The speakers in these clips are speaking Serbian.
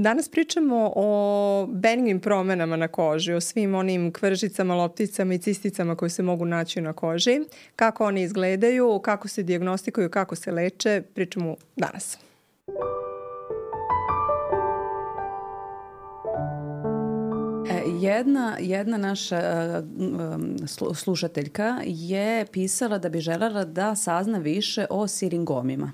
Danas pričamo o benignim promenama na koži, o svim onim kvržicama, lopticama i cisticama koje se mogu naći na koži, kako one izgledaju, kako se dijagnostikuju, kako se leče, pričamo danas. Jedna naša slušateljka je pisala da bi želela da sazna više o siringomima.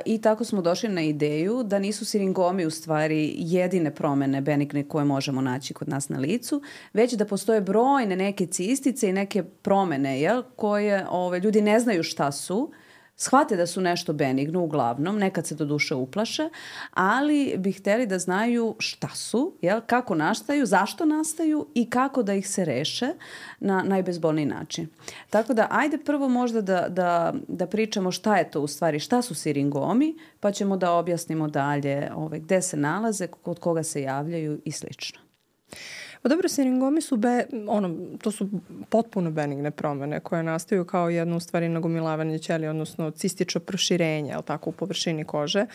I tako smo došli na ideju da nisu siringomi u stvari jedine promene benigne koje možemo naći kod nas na licu, već da postoje brojne neke cistice i neke promene koje ljudi ne znaju šta su, shvate da su nešto benigno uglavnom, nekad se do duše uplaše, ali bi hteli da znaju šta su, kako nastaju, zašto nastaju i kako da ih se reše na najbezbolniji način. Tako da ajde prvo možda da pričamo šta je to u stvari, šta su siringomi, pa ćemo da objasnimo dalje gde se nalaze, kod koga se javljaju i slično. Pa dobro, siringomi su, to su potpuno benigne promene koje nastaju kao jedno u stvari nagomilavanje ćelija, odnosno cistično proširenje, u površini kože.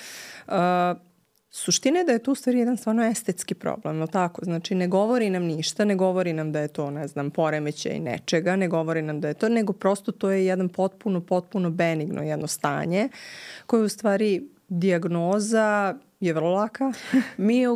Suština je da je to u stvari jedan stvarno estetski problem, Znači ne govori nam ništa, ne govori nam da je to, poremećaj nečega, ne govori nam da je to, nego prosto to je jedan potpuno benigno jedno stanje koje u stvari dijagnoza je vrlo laka. Mi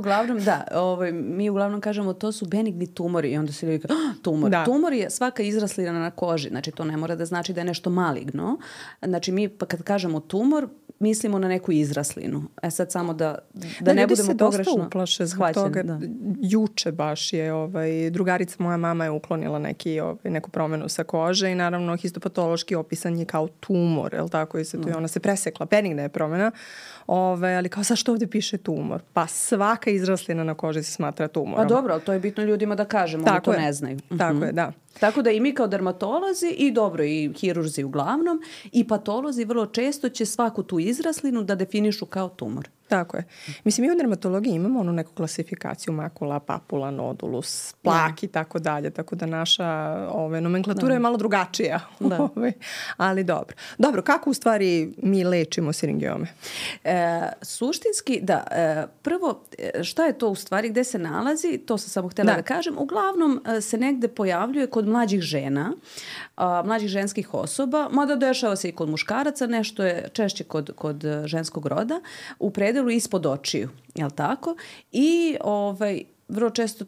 uglavnom kažemo to su benigni tumori i onda se ljudi kaže tumor. Da. Tumor je svaka izraslina na koži, znači to ne mora da znači da je nešto maligno. Znači mi kad kažemo tumor mislimo na neku izraslinu. Sad samo da ne budemo pogrešno. Dosta uplaše zbog toga. Da. Juče baš je drugarica moja mama je uklonila neku promenu sa kože i naravno histopatološki opisan je kao tumor, i ona se presekla, benigna je promena. Ali kao zašto ovdje piše tumor? Pa svaka izraslina na koži se smatra tumorom. Pa dobro, ali to je bitno ljudima da kažemo, oni to ne znaju. Tako je, da. Tako da i mi kao dermatolozi i hirurzi uglavnom i patolozi vrlo često će svaku tu izraslinu da definišu kao tumor. Tako je. Mislim, mi u dermatologiji imamo neku klasifikaciju makula, papula, nodulus, plak i tako dalje, tako da naša nomenklatura je malo drugačija. Ali dobro. Dobro, kako u stvari mi lečimo siringiome? Suštinski, prvo, šta je to u stvari, gde se nalazi, to sam samo htjela da kažem, uglavnom se negde pojavljuje kod mlađih žena, mlađih ženskih osoba, mada dešava se i kod muškaraca, nešto je češće kod ženskog roda, u predelu ispod očiju, jel tako? I vrlo često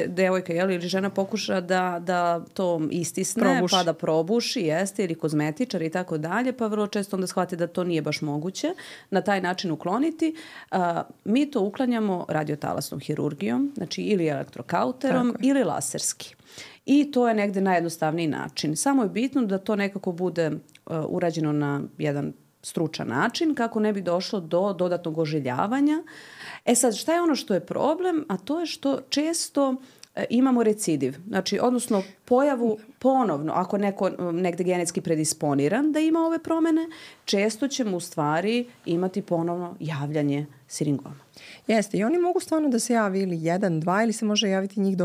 devojka ili žena pokuša da to istisne, pa da probuši, ili kozmetičar i tako dalje, pa vrlo često onda shvate da to nije baš moguće na taj način ukloniti. Mi to uklanjamo radiotalasnom hirurgijom, znači ili elektrokauterom ili laserski. I to je negde najjednostavniji način. Samo je bitno da to nekako bude urađeno na jedan stručan način kako ne bi došlo do dodatnog ožiljavanja. Sad, šta je ono što je problem? A to je što često imamo recidiv. Znači, odnosno pojavu ponovno, ako neko negde genetski predisponiran da ima ove promene, često ćemo u stvari imati ponovno javljanje siringoma. Jeste, i oni mogu stvarno da se javi ili 1, 2 ili se može javiti njih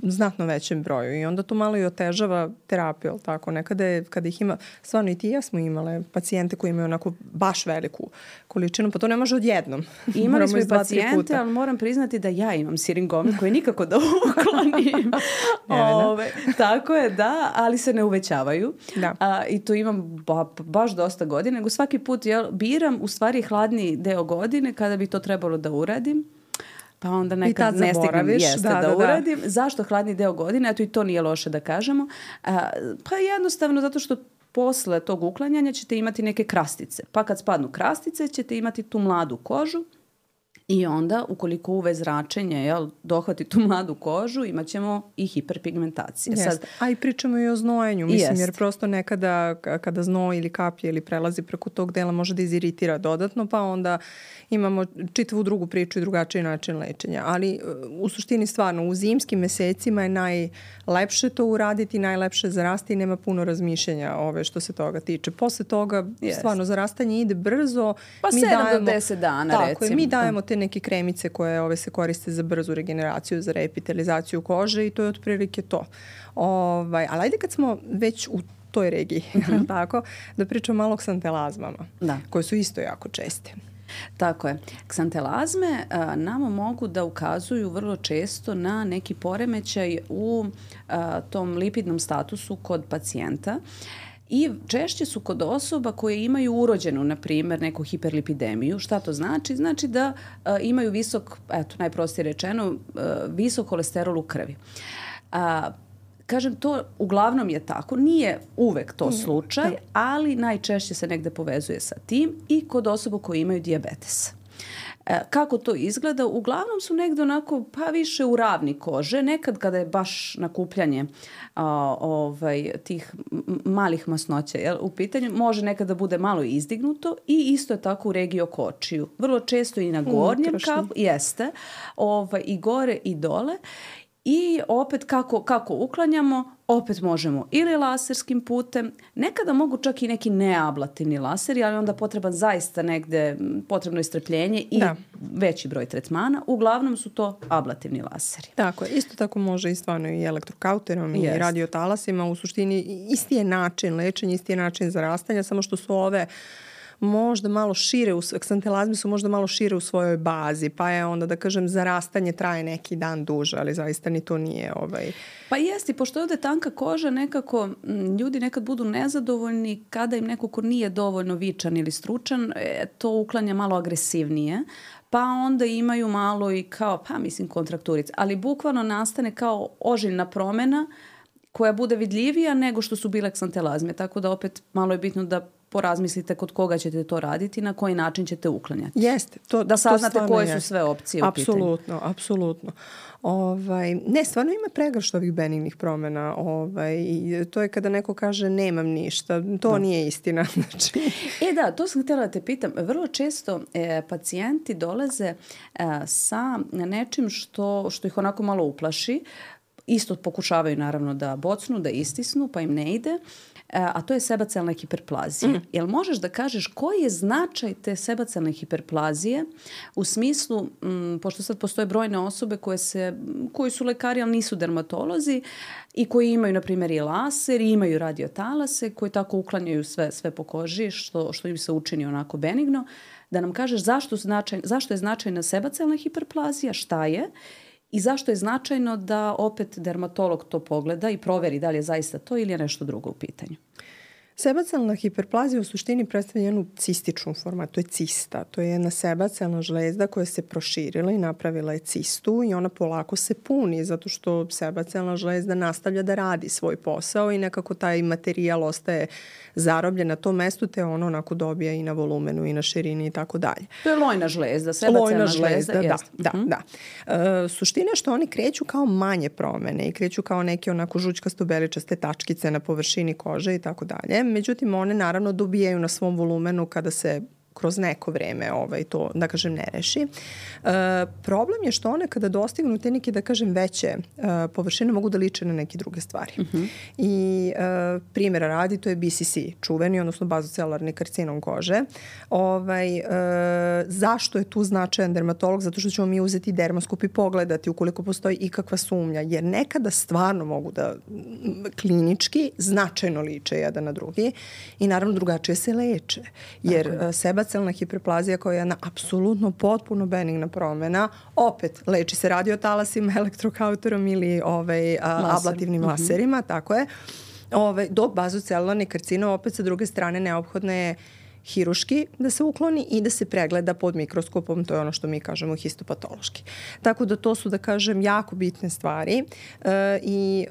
u znatno većem broju i onda to malo i otežava terapiju, ali tako? Nekada kada ih ima, stvarno i ti i ja smo imale pacijente koji imaju onako baš veliku količinu, pa to ne može odjednom. Imali smo i pacijente, ali moram priznati da ja imam siringome koje nikako da uklonim. Tako je, da, ali se ne uvećavaju. I to imam baš dosta godina, nego svaki put biram u stvari hladniji deo godine kada bi to trebalo da uradim, pa onda nekad ne stignem da uradim. Zašto hladni deo godine? Eto i to nije loše da kažemo. Pa jednostavno zato što posle tog uklanjanja ćete imati neke krastice. Pa kad spadnu krastice ćete imati tu mladu kožu i onda ukoliko UV zračenje dohvati tu mladu kožu imat ćemo i hiperpigmentacije. A i pričamo i o znojenju, jer prosto nekada kada znoj ili kaplje ili prelazi preko tog dela može da iziritira dodatno, pa onda imamo čitavu drugu priču i drugačiji način lečenja. Ali u suštini stvarno u zimskim mesecima je najlepše to uraditi, najlepše zarasti i nema puno razmišljanja što se toga tiče. Posle toga stvarno zarastanje ide brzo. Pa 7 do 10 dana recimo. Mi dajemo te neke kremice koje se koriste za brzu regeneraciju, za reepitelizaciju kože i to je otprilike to. Ali ajde kad smo već u toj regiji, tako, da pričamo malo o ksantelazmama, koje su isto jako česte. Tako je. Ksantelazme nama mogu da ukazuju vrlo često na neki poremećaj u tom lipidnom statusu kod pacijenta. I češće su kod osoba koje imaju urođenu, na primjer, neku hiperlipidemiju. Šta to znači? Znači da imaju visok, najprostije rečeno, visok kolesterol u krvi. Kažem, to uglavnom je tako. Nije uvek to slučaj, ali najčešće se negde povezuje sa tim i kod osoba koje imaju dijabetes. Kako to izgleda? Uglavnom su negde onako više u ravni kože. Nekad kada je baš nakupljanje tih malih masnoća u pitanju, može nekada bude malo izdignuto i isto je tako u regiji oko očiju. Vrlo često i na gornjem kapu, jeste, i gore i dole. I opet kako uklanjamo, opet možemo ili laserskim putem, nekada mogu čak i neki neablativni laseri, ali onda potreban zaista negde, potrebno je strpljenje i veći broj tretmana. Uglavnom su to ablativni laseri. Tako je, isto tako može i stvarno i elektrokauterom i radiotalasima. U suštini isti je način lečenja, isti je način zarastanja, samo što su ove možda malo šire, ksantelazme su možda malo šire u svojoj bazi, pa je onda da kažem zarastanje traje neki dan duže, ali zaista ni to nije Pa jesti, pošto je ovde tanka koža, nekako ljudi nekad budu nezadovoljni kada im neko ko nije dovoljno vičan ili stručan, to uklanja malo agresivnije, pa onda imaju malo i kao, kontrakturice, ali bukvalno nastane kao ožiljna promena koja bude vidljivija nego što su bile ksantelazme, tako da opet malo je bitno da porazmislite kod koga ćete to raditi, na koji način ćete uklanjati. Jeste. Da saznate koje su sve opcije u pitanju. Apsolutno. Ne, stvarno ima pregršt ovih benignih promjena. I to je kada neko kaže nemam ništa. To nije istina. Znači. To sam htjela da te pitam. Vrlo često pacijenti dolaze sa nečim što ih onako malo uplaši. Isto pokušavaju naravno da bocnu, da istisnu, pa im ne ide. A to je sebacelna hiperplazija. Jel možeš da kažeš koji je značaj te sebacelne hiperplazije u smislu, pošto sad postoje brojne osobe koji su lekari, ali nisu dermatolozi i koji imaju, na primjer, i laser, i imaju radiotalase, koji tako uklanjaju sve po koži, što im se učini onako benigno. Da nam kažeš zašto je značajna sebacelna hiperplazija, šta je, i zašto je značajno da opet dermatolog to pogleda i proveri da li je zaista to ili je nešto drugo u pitanju. Sebacelna hiperplazija u suštini predstavlja jednu cističnu formu, to je cista. To je jedna sebacelna žlezda koja se proširila i napravila je cistu i ona polako se puni zato što sebacelna žlezda nastavlja da radi svoj posao i nekako taj materijal ostaje zarobljen na tom mestu te ono onako dobija i na volumenu i na širini i tako dalje. To je lojna žlezda, sebacelna žlezda. Da. Suština je što oni kreću kao manje promene i kreću kao neke onako žućkasto-beličaste tačkice na površini kože i tako dalje. Međutim, one naravno dobijaju na svom volumenu kada se kroz neko vreme to, da kažem, ne reši. Problem je što one kada dostignu te neke, da kažem, veće površine mogu da liče na neke druge stvari. I primjera radi, to je BCC, čuveni, odnosno bazocelularni karcinom kože. Zašto je tu značajan dermatolog? Zato što ćemo mi uzeti dermoskop i pogledati ukoliko postoji ikakva sumnja, jer nekada stvarno mogu da klinički značajno liče jedan na drugi i naravno drugačije se leče. Jer sebacelna hiperplazija koja je jedna apsolutno potpuno benigna promjena, opet leči se radiotalasima, elektrokauterom ili ablativnim laserima, tako je. Dok bazocelularni karcinom opet sa druge strane neophodno je hiruški da se ukloni i da se pregleda pod mikroskopom, to je ono što mi kažemo histopatološki. Tako da to su, da kažem, jako bitne stvari i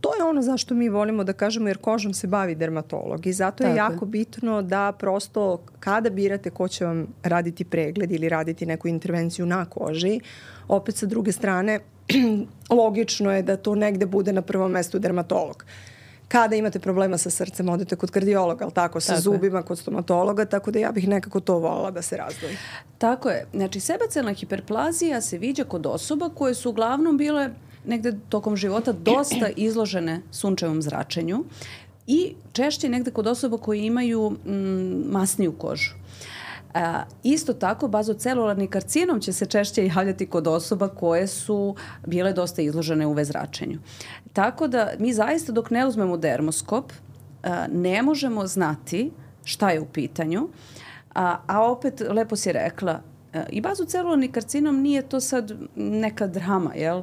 to je ono zašto mi volimo da kažemo, jer kožom se bavi dermatolog i zato je jako bitno da prosto kada birate ko će vam raditi pregled ili raditi neku intervenciju na koži, opet sa druge strane logično je da to negde bude na prvom mestu dermatolog. Kada imate problema sa srcem, odete kod kardiologa, ali tako, sa zubima, kod stomatologa, tako da ja bih nekako to voljela da se razdvoji. Tako je. Znači, sebacelna hiperplazija se viđa kod osoba koje su uglavnom bile negde tokom života dosta izložene sunčevom zračenju i češće negde kod osoba koje imaju masniju kožu. Isto tako, bazocelularni karcinom će se češće javljati kod osoba koje su bile dosta izložene UV zračenju. Tako da mi zaista dok ne uzmemo dermoskop ne možemo znati šta je u pitanju. A opet, lepo si rekla, i bazocelularni karcinom nije to sad neka drama, jel?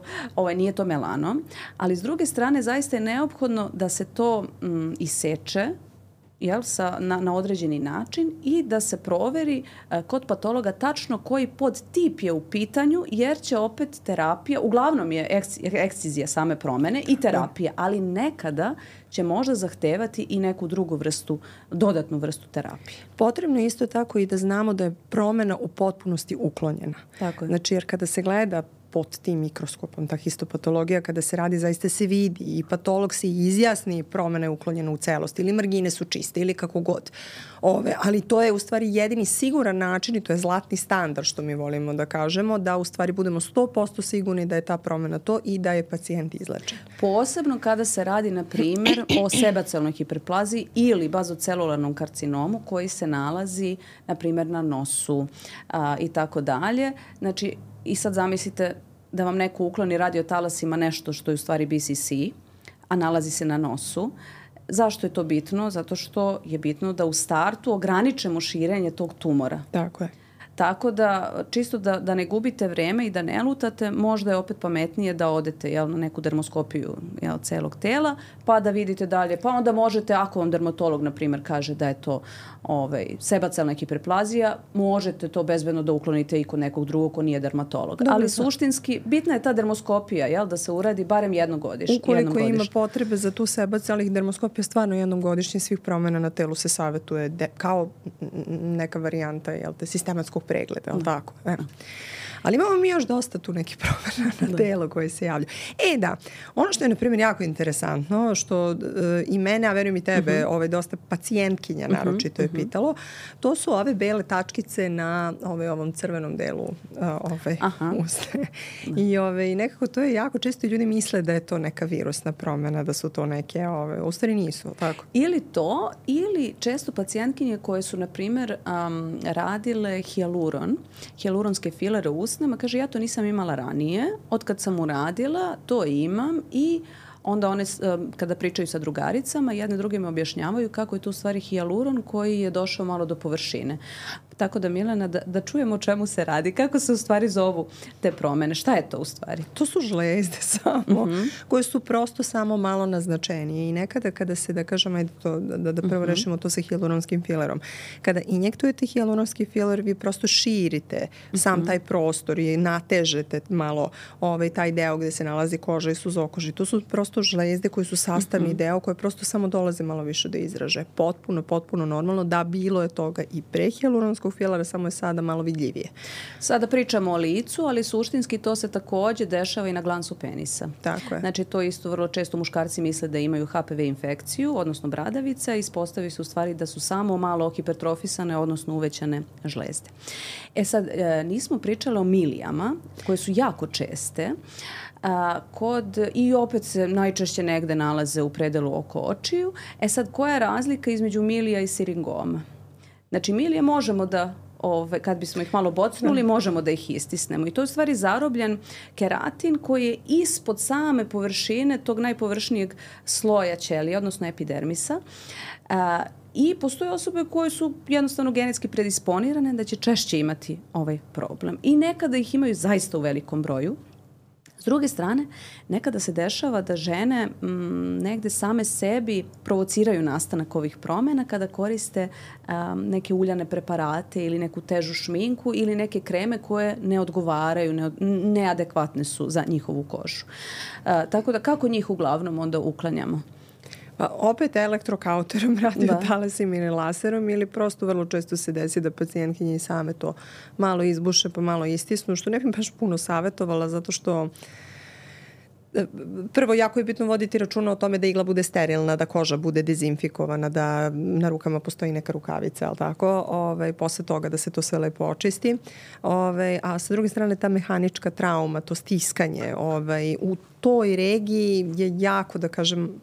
Nije to melanom, ali s druge strane zaista je neophodno da se to iseče, jel, na određeni način i da se proveri kod patologa tačno koji podtip je u pitanju, jer će opet terapija, uglavnom je ekscizija same promene i terapija, ali nekada će možda zahtevati i neku drugu vrstu, dodatnu vrstu terapije. Potrebno je isto tako i da znamo da je promena u potpunosti uklonjena. Tako je. Znači, jer kada se gleda pod tim mikroskopom, ta histopatologija, kada se radi, zaista se vidi i patolog se izjasni promena je uklonjena u celosti ili margine su čiste ili kako god. Ali to je u stvari jedini siguran način i to je zlatni standard, što mi volimo da kažemo, da u stvari budemo 100% sigurni da je ta promena to i da je pacijent izlečen. Posebno kada se radi, na primjer, o sebacelularnoj hiperplaziji ili bazocelularnom karcinomu koji se nalazi, na primjer, na nosu i tako dalje. Znači, i sad zamislite da vam neko ukloni radiotalasima nešto što je u stvari BCC, a nalazi se na nosu. Zašto je to bitno? Zato što je bitno da u startu ograničimo širenje tog tumora. Tako je. Tako da, čisto da ne gubite vreme i da ne lutate, možda je opet pametnije da odete, jel, na neku dermoskopiju, jel, celog tela, pa da vidite dalje. Pa onda možete, ako vam dermatolog, na primjer, kaže da je to sebacelularna hiperplazija, možete to bezbedno da uklonite i kod nekog drugog ko nije dermatolog. Dobro, ali suštinski, bitna je ta dermoskopija, jel, da se uradi barem jednom godišnje. Ukoliko ima potrebe za tu sebacelularnih dermoskopija, stvarno jednom godišnje svih promjena na telu se savjetuje kao neka varijanta, jel, sistematskog pregleda, ali tako. Ali imamo mi još dosta tu nekih promjena na telo koje se javljaju. Da, ono što je, na primjer, jako interesantno, što i mene, a verujem i tebe, dosta pacijentkinja naročito je pitalo, to su ove bele tačkice na ovom crvenom delu usne. I nekako to je jako često ljudi misle da je to neka virusna promjena, da su to neke, u stvari nisu, tako? Ili to, ili često pacijentkinje koje su, na primjer, radile hijaluronske filere u usnama, kaže, ja to nisam imala ranije, otkad sam uradila, to imam i onda one, kada pričaju sa drugaricama, jedne drugima objašnjavaju kako je to u stvari hijaluron koji je došao malo do površine. Tako da, Milena, da čujemo o čemu se radi, kako se u stvari zovu te promene, šta je to u stvari? To su žlezde samo, koje su prosto samo malo naznačenije i nekada kada se, da kažem, da prvo rešimo to sa hijaluronskim filerom. Kada injektujete hijaluronski filer, vi prosto širite sam taj prostor i natežete malo taj deo gde se nalazi koža i suzokoži. To su prosto žlezde koje su sastavni deo, koje prosto samo dolaze malo više do izraže. Potpuno normalno, da bilo je toga i pre hijaluronskog filera, samo je sada malo vidljivije. Sada pričamo o licu, ali suštinski to se također dešava i na glansu penisa. Tako je. Znači, to isto vrlo često muškarci misle da imaju HPV infekciju, odnosno bradavica, i ispostavi se u stvari da su samo malo hipertrofisane, odnosno uvećane žlezde. Sad, nismo pričali o milijama, koje su jako česte, i opet se najčešće negde nalaze u predelu oko očiju. Sad, koja je razlika između milija i siringoma? Znači, milije možemo da, kad bismo ih malo bocnuli, možemo da ih istisnemo. I to je u stvari zarobljen keratin koji je ispod same površine tog najpovršnijeg sloja ćelija, odnosno epidermisa. I postoje osobe koje su jednostavno genetski predisponirane da će češće imati ovaj problem. I nekada ih imaju zaista u velikom broju. S druge strane, nekada se dešava da žene negde same sebi provociraju nastanak ovih promjena kada koriste neke uljane preparate ili neku težu šminku ili neke kreme koje ne odgovaraju, neadekvatne su za njihovu kožu. Tako da, kako njih uglavnom onda uklanjamo? Pa opet elektrokauterom, radiotalasima ili laserom, ili prosto vrlo često se desi da pacijentkinje i same to malo izbuše pa malo istisnu, što ne bih baš puno savjetovala, zato što prvo, jako je bitno voditi računa o tome da igla bude sterilna, da koža bude dezinfikovana, da na rukama postoji neka rukavica, ali tako, posle toga da se to sve lepo očisti. A sa druge strane, ta mehanička trauma, to stiskanje u toj regiji je jako, da kažem,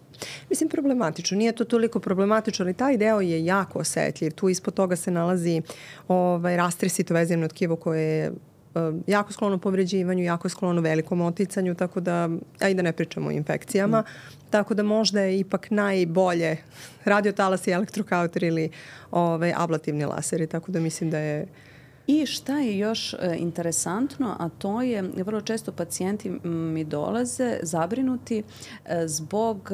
mislim, problematično. Nije to toliko problematično, ali taj deo je jako osetljiv. Tu ispod toga se nalazi rastresito vezivno tkivo koje je jako sklono povređivanju, jako sklono velikom oticanju, tako da, a i da ne pričamo o infekcijama, tako da možda je ipak najbolje radiotalas i elektrokauter ili ablativni laseri, tako da mislim da je... I šta je još interesantno, a to je, vrlo često pacijenti mi dolaze zabrinuti zbog,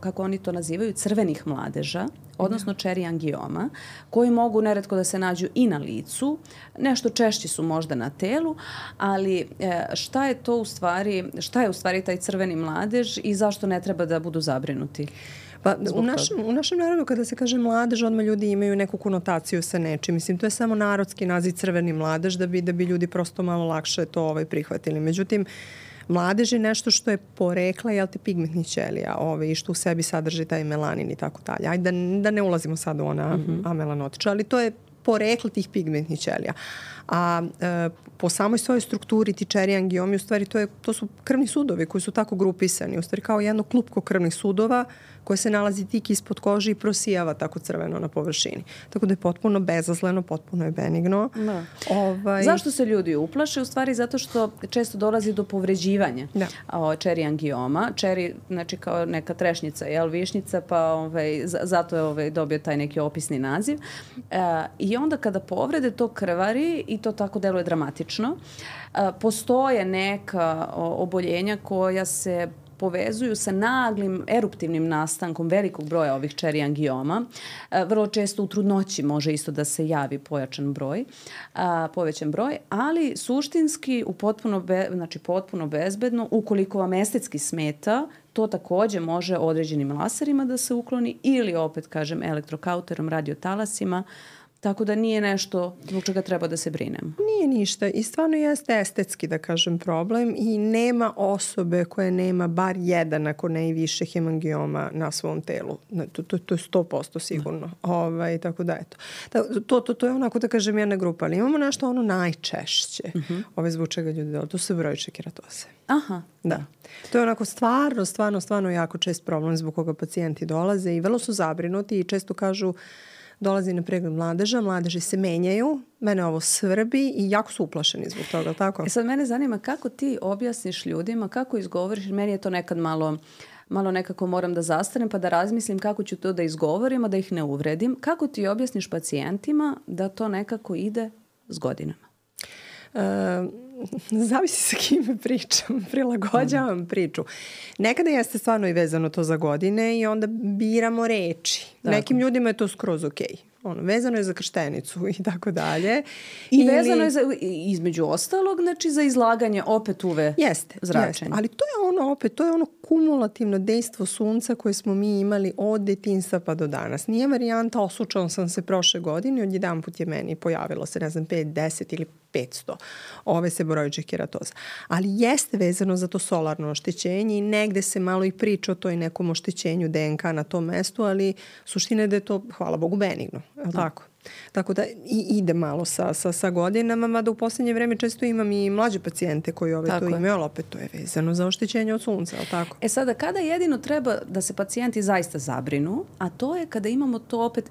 kako oni to nazivaju, crvenih mladeža, odnosno čeri angioma, koji mogu neretko da se nađu i na licu, nešto češći su možda na telu, ali šta je u stvari taj crveni mladež i zašto ne treba da budu zabrinuti? Pa u našem narodu kada se kaže mladež, odmah ljudi imaju neku konotaciju sa nečim. Mislim, to je samo narodski naziv crveni mladež da bi ljudi prosto malo lakše to prihvatili. Međutim, mladež je nešto što je porekla, pigmentnih ćelija i što u sebi sadrži taj melanin i tako dalje. Ajde da ne ulazimo sad u ona amelanotiča, ali to je porekla tih pigmentnih ćelija. A po samoj svojoj strukturi ti čeri angiomi, u stvari to su krvni sudovi koji su tako grupisani. U stvari kao jedno klupko krvnih sudova koje se nalazi tik ispod kože i prosijava tako crveno na površini. Tako da je potpuno bezazleno, potpuno je benigno. Da. Zašto se ljudi uplaše? U stvari zato što često dolazi do povređivanja čeri angioma. Čeri, znači kao neka trešnjica, višnjica, pa zato je dobio taj neki opisni naziv. I onda kada povrede, to krvari i to tako deluje dramatično. Postoje neka oboljenja koja se povezuju sa naglim eruptivnim nastankom velikog broja ovih čeri angioma. Vrlo često u trudnoći može isto da se javi povećan broj, ali suštinski potpuno bezbedno, ukoliko vam estetski smeta, to takođe može određenim laserima da se ukloni ili opet, kažem, elektrokauterom, radiotalasima. Tako da nije nešto zbog čega treba da se brinem. Nije ništa i stvarno jeste estetski, da kažem, problem i nema osobe koja nema bar jedan, ako ne i više, hemangioma na svom telu. To je 100% sigurno. Tako da eto. To je onako, da kažem, jedna grupa. Ali imamo nešto najčešće. Zbog čega ljudi dolaze. To su brojične keratoze. Aha. Da. To je onako stvarno jako čest problem zbog koga pacijenti dolaze i vrlo su zabrinuti i često kažu dolazi na pregled mladeža, mladeži se menjaju, mene ovo svrbi i jako su uplašeni zbog toga, tako? Sad mene zanima kako ti objasniš ljudima, kako izgovoriš, meni je to nekad malo nekako moram da zastanem pa da razmislim kako ću to da izgovorim, a da ih ne uvredim. Kako ti objasniš pacijentima da to nekako ide s godinama? Zavisi sa kime pričam, prilagođavam priču. Nekada jeste stvarno i vezano to za godine i onda biramo reči. Tako. Nekim ljudima je to skroz okej. Vezano je za krštenicu i tako dalje. I vezano je između ostalog, znači za izlaganje opet UV zračenja. Jeste. Ali to je ono kumulativno dejstvo sunca koje smo mi imali od detinjstva pa do danas. Nije varijanta osučao sam se prošle godine, odjedanput je meni pojavilo se, 5, 10 ili 500 seboroičnih keratoza. Ali jeste vezano za to solarno oštećenje i negde se malo i priča o toj nekom oštećenju DNK na tom mestu, ali suština je da je to, hvala Bogu, benigno. Tako da ide malo sa godinama, mada u posljednje vreme često imam i mlađe pacijente koji to imaju, ali opet to je vezano za oštećenje od sunca, ali tako? Sada, kada jedino treba da se pacijenti zaista zabrinu, a to je kada imamo to opet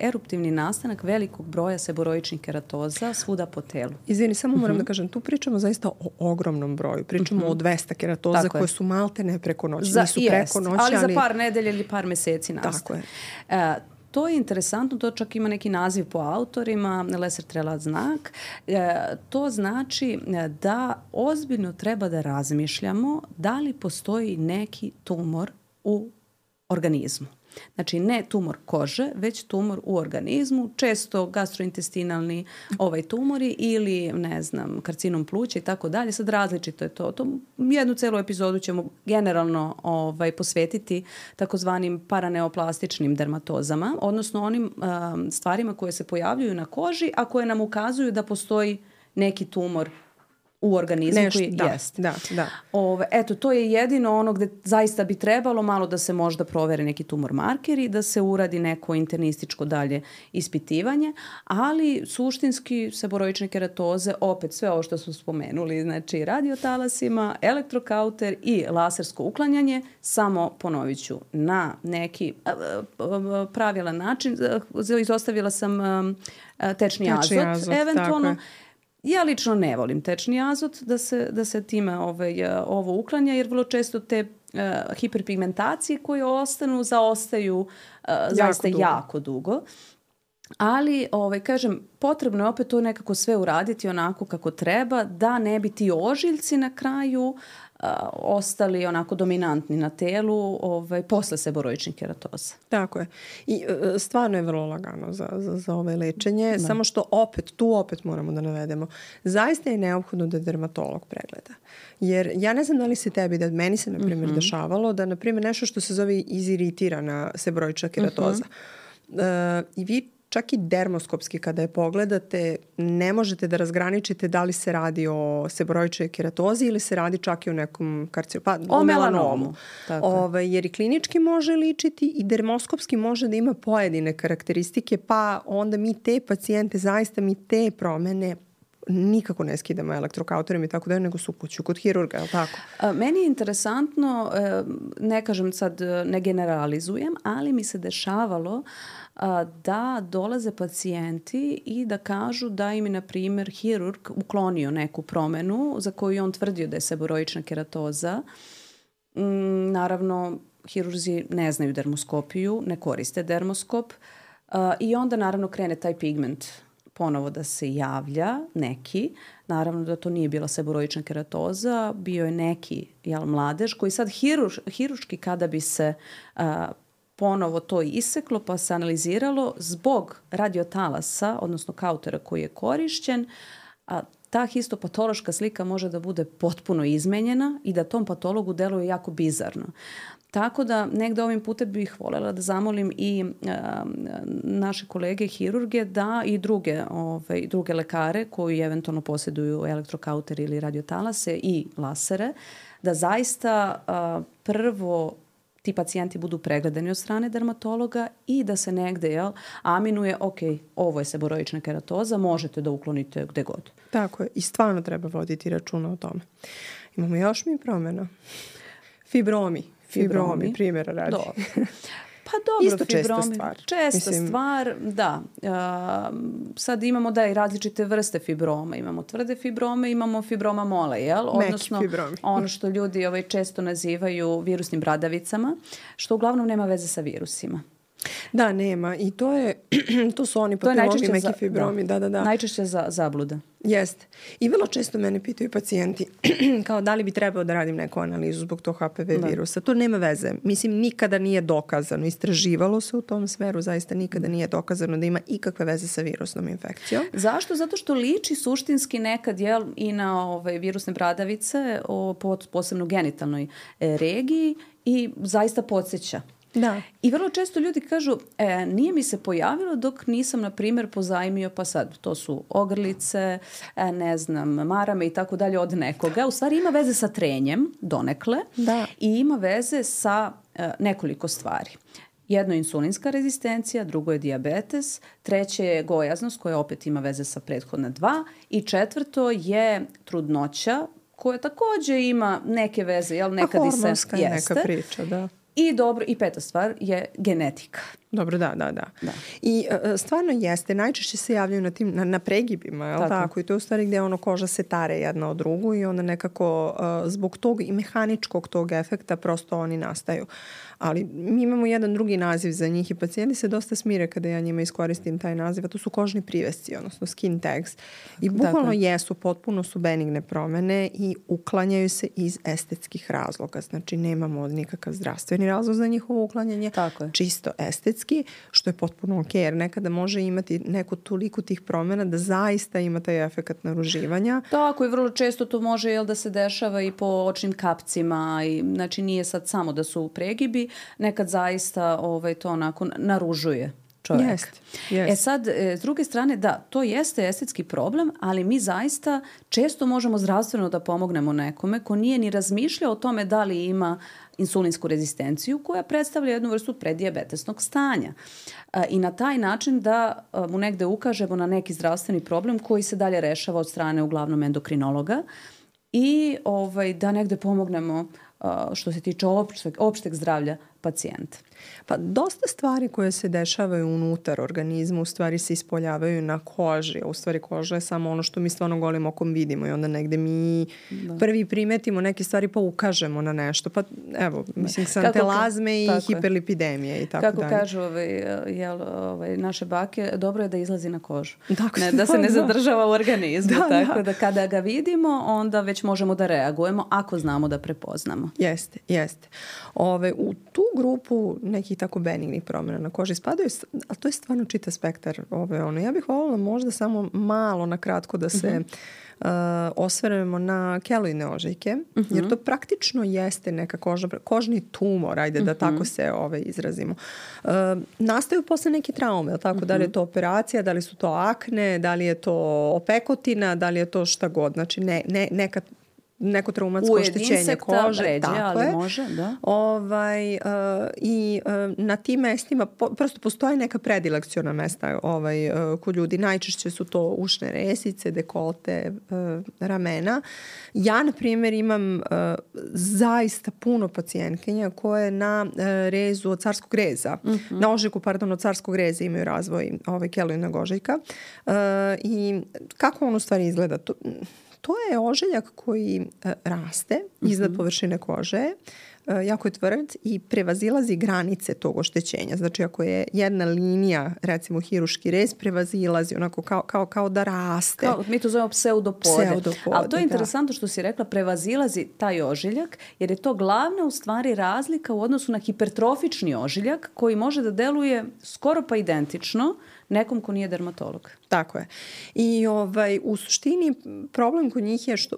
eruptivni nastanak velikog broja seboroičnih keratoza svuda po telu. Izvini, samo moram da kažem, tu pričamo zaista o ogromnom broju. Pričamo o 200 keratoza koje su malte preko noći. Nisu preko noći, ali za par nedelja ili par meseci nastane. Tako je. To je interesantno, to čak ima neki naziv po autorima, Lesser-Trelat znak. To znači da ozbiljno treba da razmišljamo da li postoji neki tumor u organizmu. Znači ne tumor kože, već tumor u organizmu, često gastrointestinalni tumori ili, karcinom pluća i tako dalje. Sad različito je to. Jednu celu epizodu ćemo generalno posvetiti takozvanim paraneoplastičnim dermatozama, odnosno onim stvarima koje se pojavljuju na koži, a koje nam ukazuju da postoji neki tumor u organizmu koji jeste. Da. Eto, to je jedino ono gde zaista bi trebalo malo da se možda provere neki tumor markeri, da se uradi neko internističko dalje ispitivanje, ali suštinski seboroične keratoze, opet sve ovo što smo spomenuli, znači radiotalasima, elektrokauter i lasersko uklanjanje, samo ponovit ću na neki pravilan način. Izostavila sam tečni azot, eventualno. Ja lično ne volim tečni azot da se time ovo uklanja, jer vrlo često te hiperpigmentacije koje zaostaju zaista jako dugo. Ali, kažem, potrebno je opet to nekako sve uraditi onako kako treba, da ne bi ti ožiljci na kraju ostali onako dominantni na telu posle seboroičnih keratoza. Tako je. I stvarno je vrlo lagano za ove lečenje, samo što opet moramo da navedemo. Zaista je neophodno da dermatolog pregleda. Jer ja ne znam da li se tebi, da meni se na primjer dešavalo, da na primjer nešto što se zove iziritirana seboroična keratoza. I vi čak i dermoskopski kada je pogledate, ne možete da razgraničite da li se radi o seboroičnoj keratozi ili se radi čak i o nekom o melanomu. Jer i klinički može ličiti i dermoskopski može da ima pojedine karakteristike, pa onda mi te pacijente, zaista mi te promene nikako ne skidamo elektrokauterom i tako da, nego su kuću kod hirurga, je li tako? Meni je interesantno, ne kažem sad, ne generalizujem, ali mi se dešavalo da dolaze pacijenti i da kažu da im je, na primjer, hirurg uklonio neku promenu za koju on tvrdio da je seboroična keratoza. Naravno, hirurzi ne znaju dermoskopiju, ne koriste dermoskop i onda naravno krene taj pigment ponovo da se javlja, neki. Naravno da to nije bila seboroična keratoza, bio je neki mladež koji sad hiruški kada bi se ponovo to iseklo pa se analiziralo zbog radiotalasa, odnosno kautera koji je korišćen, ta histopatološka slika može da bude potpuno izmenjena i da tom patologu deluje jako bizarno. Tako da negde ovim putem bih voljela da zamolim i naše kolege hirurge da i druge lekare koji eventualno posjeduju elektrokauter ili radiotalase i lasere, da zaista prvo ti pacijenti budu pregledani od strane dermatologa i da se negde aminuje, ok, ovo je seboroična keratoza, možete da uklonite gde god. Tako je. I stvarno treba voditi računa o tome. Imamo još mi promjena. Fibromi, primjera radi. Dobro. Pa dobro, isto česta stvar. Česta stvar, da. Sad imamo i različite vrste fibroma. Imamo tvrde fibrome, imamo fibroma mole, jel? Odnosno, ono što ljudi često nazivaju virusnim bradavicama, što uglavnom nema veze sa virusima. Da, nema. I to su oni papilomni meki fibromi. Da. Najčešće zabluda. Jeste. I vrlo često mene pitaju pacijenti kao da li bi trebao da radim neku analizu zbog tog HPV virusa. To nema veze. Mislim, nikada nije dokazano. Istraživalo se u tom sferu, zaista nikada nije dokazano da ima ikakve veze sa virusnom infekcijom. Zašto? Zato što liči suštinski nekad i na virusne bradavice, posebno genitalnoj regiji i zaista podsjeća. Da. I vrlo često ljudi kažu, nije mi se pojavilo dok nisam, na primjer, pozajmio, pa sad, to su ogrlice, ne znam, marame i tako dalje od nekoga. U stvari ima veze sa trenjem, donekle, i ima veze sa nekoliko stvari. Jedno je insulinska rezistencija, drugo je dijabetes, treće je gojaznost koja opet ima veze sa prethodna dva i četvrto je trudnoća koja također ima neke veze, jel, nekad i se hormonska je neka priča, da. I peta stvar je genetika. Dobro, da. I stvarno jeste, najčešće se javljaju na pregibima, je li tako? I to je u stvari gdje koža se tare jedna od drugu i onda nekako zbog tog i mehaničkog tog efekta prosto oni nastaju. Ali mi imamo jedan drugi naziv za njih i pacijenti se dosta smire kada ja njima iskoristim taj naziv, a to su kožni privesci, odnosno skin tags. I bukvalno potpuno su benigne promjene i uklanjaju se iz estetskih razloga. Znači nemamo nikakav zdravstveni razlog za njihovo uklanjanje, čisto estetski, što je potpuno ok, jer nekada može imati neku toliko tih promjena da zaista ima taj efekat naruživanja. Tako i vrlo često to može da se dešava i po očnim kapcima, znači nije sad samo da su pregibi, nekad zaista to onako naružuje čovjek. Jest. Sad, s druge strane, da, to jeste estetski problem, ali mi zaista često možemo zdravstveno da pomognemo nekome ko nije ni razmišljao o tome da li ima insulinsku rezistenciju koja predstavlja jednu vrstu preddiabetesnog stanja. I na taj način da mu negde ukažemo na neki zdravstveni problem koji se dalje rešava od strane uglavnom endokrinologa i da negde pomognemo što se tiče opšteg zdravlja pacijenta. Pa dosta stvari koje se dešavaju unutar organizma u stvari se ispoljavaju na koži. U stvari koža je samo ono što mi stvarno golim okom vidimo i onda negde mi prvi primetimo neke stvari pa ukažemo na nešto. Pa evo, mislim, santelazme i hiperlipidemije i tako dalje. Kako kažu naše bake, dobro je da izlazi na kožu. Da se ne zadržava u organizmu. Tako da kada ga vidimo, onda već možemo da reagujemo ako znamo da prepoznamo. Jeste. U tu grupu nekih tako benignih promjena na koži spadaju, ali to je stvarno čitav spektar. Ja bih voljela možda samo malo na kratko da se osvrnemo na keloidne ožiljke, jer to praktično jeste neka kožni tumor, ajde da tako se izrazimo. Nastaju posle neke traume, tako? Da li je to operacija, da li su to akne, da li je to opekotina, da li je to šta god. Znači neko traumatsko oštećenje kože. Tako je. Može, da. I na tim mestima prosto postoje neka predilekciona mesta kod ljudi. Najčešće su to ušne resice, dekolte, ramena. Ja, na primjer, imam zaista puno pacijentkinja koje na rezu od carskog reza, na ožiljku, od carskog reza imaju razvoj keloidnog ožiljka. I kako on u stvari izgleda? To je ožiljak koji raste iznad površine kože, jako je tvrd i prevazilazi granice tog oštećenja. Znači ako je jedna linija, recimo hiruški rez, prevazilazi onako kao da raste. Mi to zovemo pseudopode. Ali to je interesantno što si rekla, prevazilazi taj ožiljak, jer je to glavna u stvari razlika u odnosu na hipertrofični ožiljak koji može da deluje skoro pa identično nekom ko nije dermatolog. Tako je. I u suštini problem kod njih je što,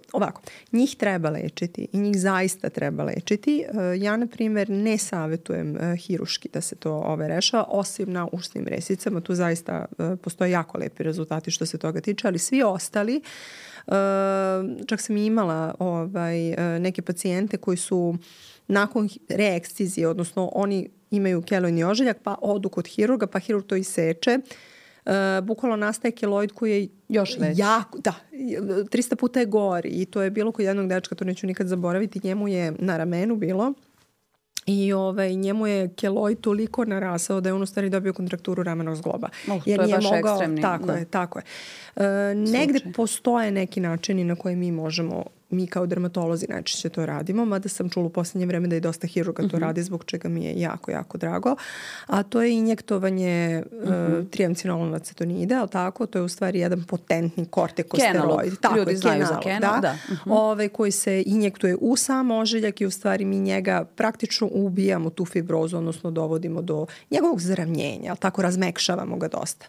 njih treba lečiti i njih zaista treba lečiti. Ja, na primjer, ne savjetujem hiruški da se to rešava, osim na ušnim resicama. Tu zaista postoje jako lepi rezultati što se toga tiče, ali svi ostali, čak sam imala neke pacijente koji su nakon reekcizije, odnosno oni imaju keloidni ožiljak, pa odu kod hirurga, pa hirurg to iseče. Bukvalno nastaje keloid koji je još već. 300 puta je gori. I to je bilo kod jednog dečka, to neću nikad zaboraviti. Njemu je na ramenu bilo i njemu je keloid toliko narasao da je on u stvari dobio kontrakturu ramenog zgloba. To je baš ekstremni. Tako je. Negde postoje neki načini na koje mi možemo, mi kao dermatolozi najčešće to radimo, mada sam čula u posljednje vreme da i dosta hirurga to radi, zbog čega mi je jako, jako drago. A to je injektovanje triamcinolona acetonida, ali tako? To je u stvari jedan potentni kortikosteroid. Ljudi znaju za kenalog, da. Koji se injektuje u sam ožiljak i u stvari mi njega praktično ubijamo tu fibrozu, odnosno dovodimo do njegovog zaravnjenja, ali tako razmekšavamo ga dosta.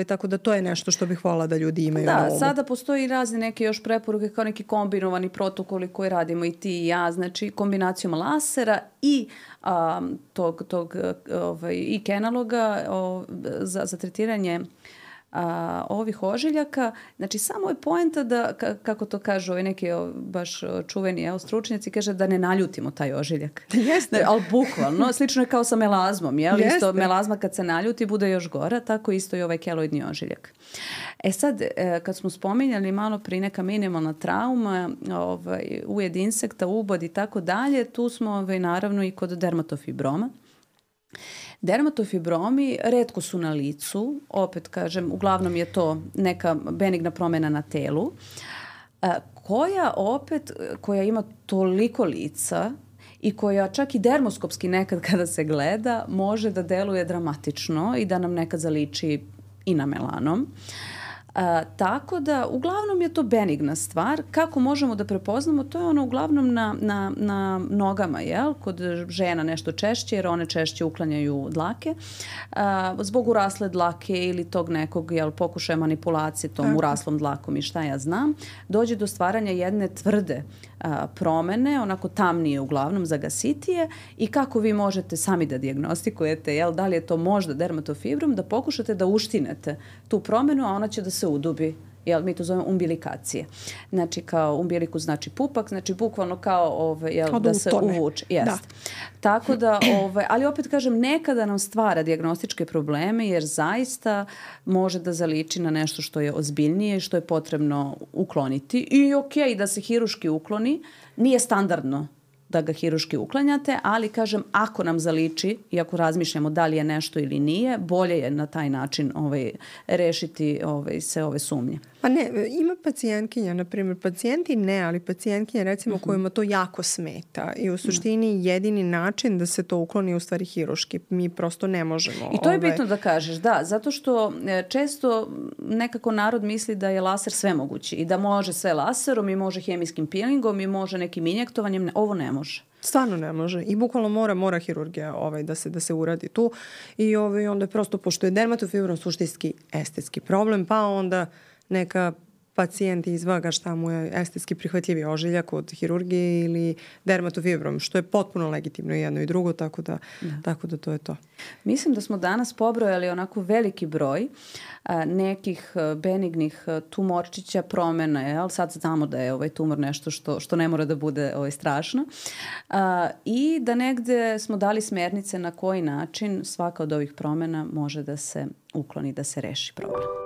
Tako da to je nešto što bih voljela da ljudi imaju na umu. Sada postoji razne neke još preporuke kao neki kombinovani protokoli koje radimo i ti i ja, znači kombinacijom lasera i i kenaloga za tretiranje ovih ožiljaka. Znači samo je poenta da, kako to kažu neki baš čuveni stručnjaci, kaže da ne naljutimo taj ožiljak. Jeste. Ali bukvalno, slično je kao sa melazmom. Isto melazma kad se naljuti bude još gora, tako isto i ovaj keloidni ožiljak. Sad, kad smo spominjali malo prije neka minimalna trauma, ujed insekta, ubod i tako dalje, tu smo naravno i kod dermatofibroma. Dermatofibromi retko su na licu, opet kažem, uglavnom je to neka benigna promjena na telu, koja ima toliko lica i koja čak i dermoskopski nekad kada se gleda može da deluje dramatično i da nam nekad zaliči i na melanom. Tako da uglavnom je to benigna stvar. Kako možemo da prepoznamo? To je ono uglavnom na nogama, kod žena nešto češće, jer one češće uklanjaju dlake. Zbog urasle dlake ili tog nekog pokušaja manipulacije tom uraslom dlakom i šta ja znam, dođe do stvaranja jedne tvrde promene, onako tamnije uglavnom, zagasitije, i kako vi možete sami da dijagnostikujete, da li je to možda dermatofibrom, da pokušate da uštinete tu promenu, a ona će da se udubi. Mi to zovemo umbilikacije. Znači kao umbilikus znači pupak, znači bukvalno kao da se uvuče. Tako da, ali opet kažem, nekada nam stvara dijagnostičke probleme jer zaista može da zaliči na nešto što je ozbiljnije, što je potrebno ukloniti. I da se hiruški ukloni, nije standardno da ga hiruški uklanjate, ali kažem, ako nam zaliči i ako razmišljamo da li je nešto ili nije, bolje je na taj način rešiti sve ove sumnje. Pa ne, ima pacijentkinja, na primjer, pacijenti ne, ali pacijentkinja recimo kojima to jako smeta i u suštini jedini način da se to ukloni je u stvari hiruški. Mi prosto ne možemo. I to je bitno da kažeš, da, zato što često nekako narod misli da je laser svemogući i da može sve laserom i može hemijskim peelingom i može nekim injektovanjem, ovo ne može. Stvarno ne može i bukvalno mora hirurgija da se uradi tu i onda je prosto, pošto je dermatofibrom suštinski estetski problem, pa onda neka pacijent izvaga šta mu je estetski prihvatljivi ožiljak od hirurgije ili dermatofibrom, što je potpuno legitimno i jedno i drugo, tako da to je to. Mislim da smo danas pobrojali onako veliki broj nekih benignih tumorčića, promjena, sad znamo da je tumor nešto što ne mora da bude strašno i da negde smo dali smernice na koji način svaka od ovih promjena može da se ukloni, da se reši problem.